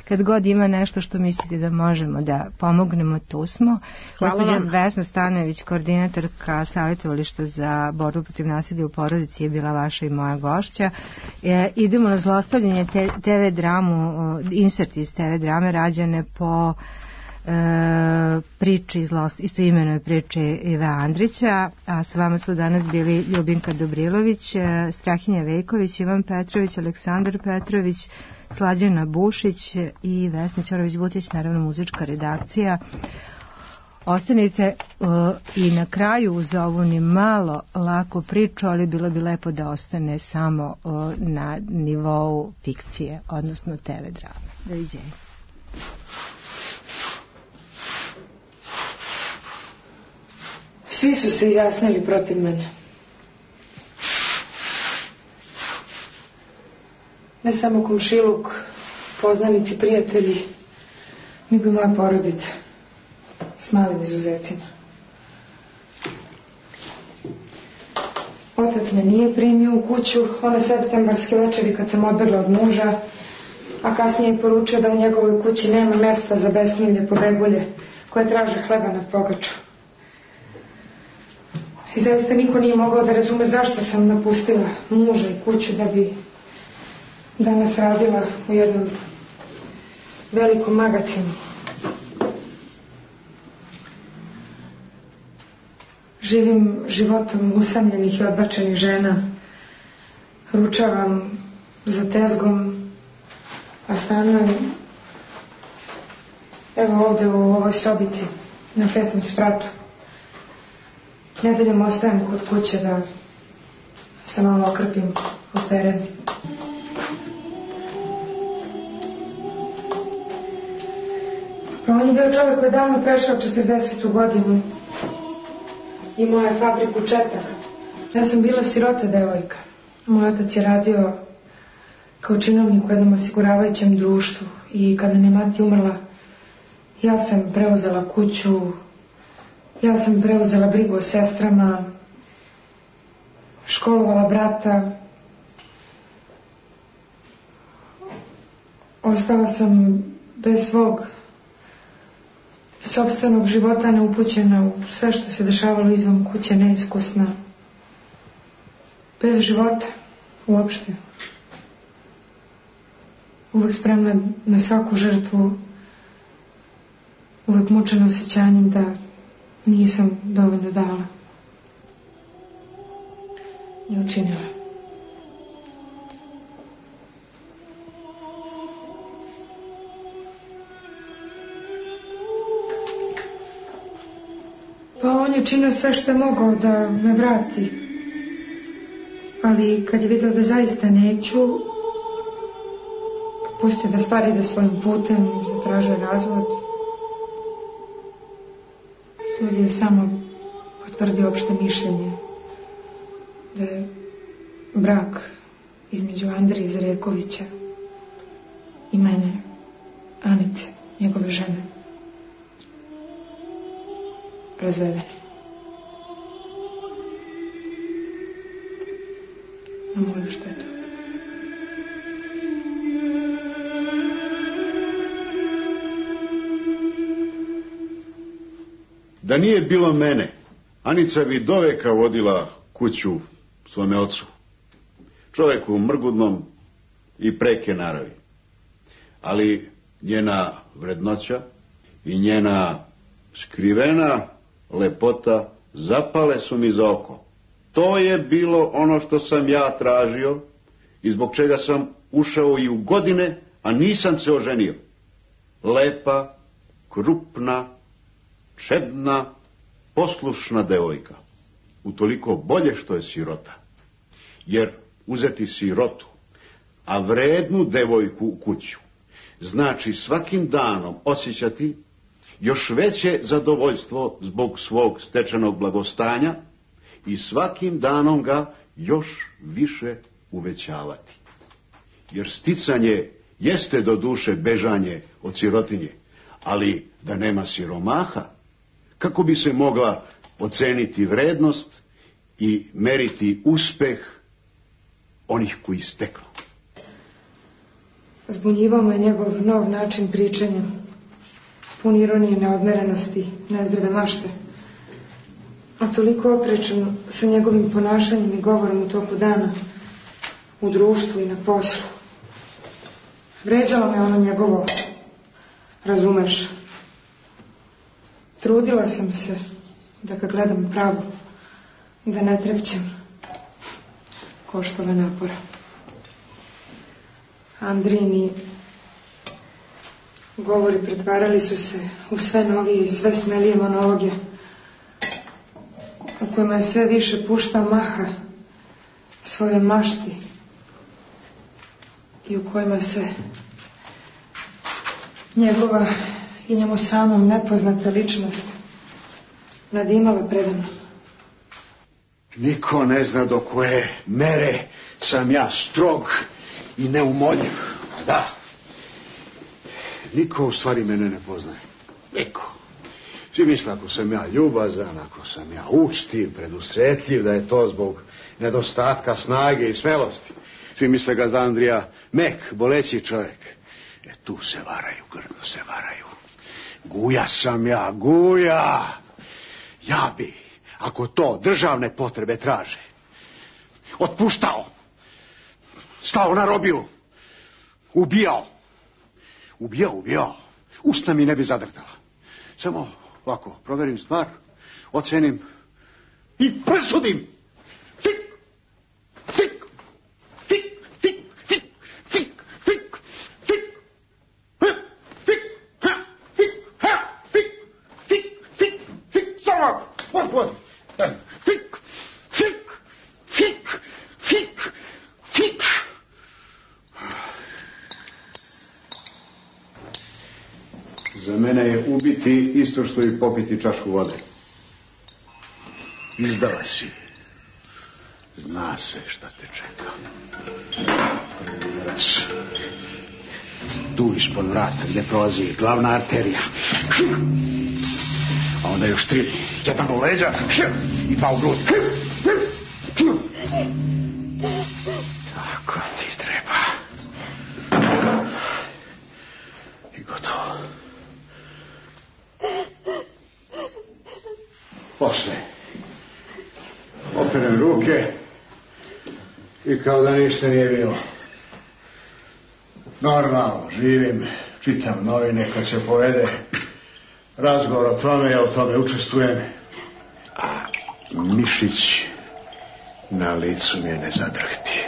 Kad god ima nešto što mislite da možemo da pomognemo, tu smo. Gospođa Vesna Stanojević, koordinatorka savjetovališta za borbu protiv nasilja u porodici, je bila vaša i moja gošća. Idemo na zlostavljanje TV dramu, insert iz TV drame rađene po priči, istoimenoj priči Ive Andrića, a s vama su danas bili Ljubinka Dobrilović, Strahinja Vejković, Ivan Petrović, Aleksandar Petrović, Slađana Bušić i Vesna Ćorović-Butić, naravno muzička redakcija. Ostanite i na kraju uz ovu ni malo laku priču, ali bilo bi lepo da ostane samo na nivou fikcije, odnosno TV drame. Doviđenja. Svi su se izjasnili protiv mene. Ne samo komšiluk, poznanici, prijatelji, nego i moja porodica, s malim izuzecima. Otac me nije primio u kuću one septembarske večeri kad sam odbegla od muža, a kasnije je poručio da u njegovoj kući nema mesta za besnulje pobegulje koje traže hleba nad pogačom. I zaista niko nije mogao da razume zašto sam napustila muža i kuću da bi danas radila u jednom velikom magacinu. Živim životom usamljenih i odbačenih žena. Ručavam za tezgom, a stanujem evo ovde u ovoj sobici na 5. spratu. Nedeljom ostajem kod kuće da se malo okrpim u terenu. Pa on je bio čovjek koji je davno prešao 40. godinu. Imao je fabriku četaka. Ja sam bila sirota devojka. Moj otac je radio kao činovnik u jednom osiguravajućem društvu i kada mi je mati umrla, ja sam preuzela kuću, ja sam preuzela brigu o sestrama, školovala brata. Ostala sam bez svog sopstvenog života, neupućena u sve što se dešavalo izvan kuće, neiskusna. Bez života uopšte. Uvek spremna na svaku žrtvu, uvek mučena osjećanjem da nisam dovoljno dala i učinila. Pa on je činio sve što je mogao da me vrati, ali kad je vidio da zaista neću, pustio da stvari ide svojim putem, zatražio razvod. Sud je samo potvrdio opšte mišljenje da je brak između Andrije Zarekovića i mene, Anice, njegove žene, razvedeni. Na moju štetu. Da nije bilo mene, Anica bi doveka vodila kuću svome ocu. Čoveku mrgudnom i preke naravi. Ali njena vrednoća i njena skrivena lepota zapale su mi za oko. To je bilo ono što sam ja tražio i zbog čega sam ušao i u godine, a nisam se oženio. Lepa, krupna, čedna, poslušna devojka. Utoliko bolje što je sirota. Jer uzeti sirotu, a vrednu devojku u kuću, znači svakim danom osjećati još veće zadovoljstvo zbog svog stečenog blagostanja i svakim danom ga još više uvećavati. Jer sticanje jeste do duše bežanje od sirotinje, ali da nema siromaha, kako bi se mogla oceniti vrednost i meriti uspeh onih koji steknu. Zbunjivao me njegov nov način pričanja, pun ironije, neodmerenosti, nezdrave mašte, a toliko oprečan sa njegovim ponašanjem i govorom u toku dana, u društvu i na poslu. Vređalo me ono njegovo, razumeš. Trudila sam se da ga gledam pravo, da ne trepćem. Koštalo napora. Andrini govori pretvarali su se u sve novije i sve smelije monologe, u kojima je sve više puštao maha svoje mašti i u kojima se njegova i njemu samom nepoznata ličnost nadimala predano. Niko ne zna do koje mere sam ja strog i neumoljiv. Da. Niko u stvari mene ne poznaje. Niko. Svi misle ako sam ja ljubazan, ako sam ja učtiv, predusretljiv, da je to zbog nedostatka snage i smelosti. Svi misle gazda Andrija mek, boleći čovjek. Tu se varaju, grdo se varaju. Guja sam ja, guja. Ja bi, ako to državne potrebe traže, otpuštao, stao na robiju, ubijao. Usta mi ne bi zadrtala. Samo ovako, proverim stvar, ocenim i presudim. Za mene je ubiti isto što i popiti čašku vode. Izdala si. Zna se šta te čeka. Raz. Tu ispod vrata gdje prolazi glavna arterija. A onda još 3. Jedan u leđa i 2 u grudi. Tako ti treba. I gotovo. Posle operem ruke i kao da ništa nije bilo. Normalno, živim, čitam novine kad se povede razgovor o tome, ja u tome učestvujem. A mišić na licu mi je ne zadrhti.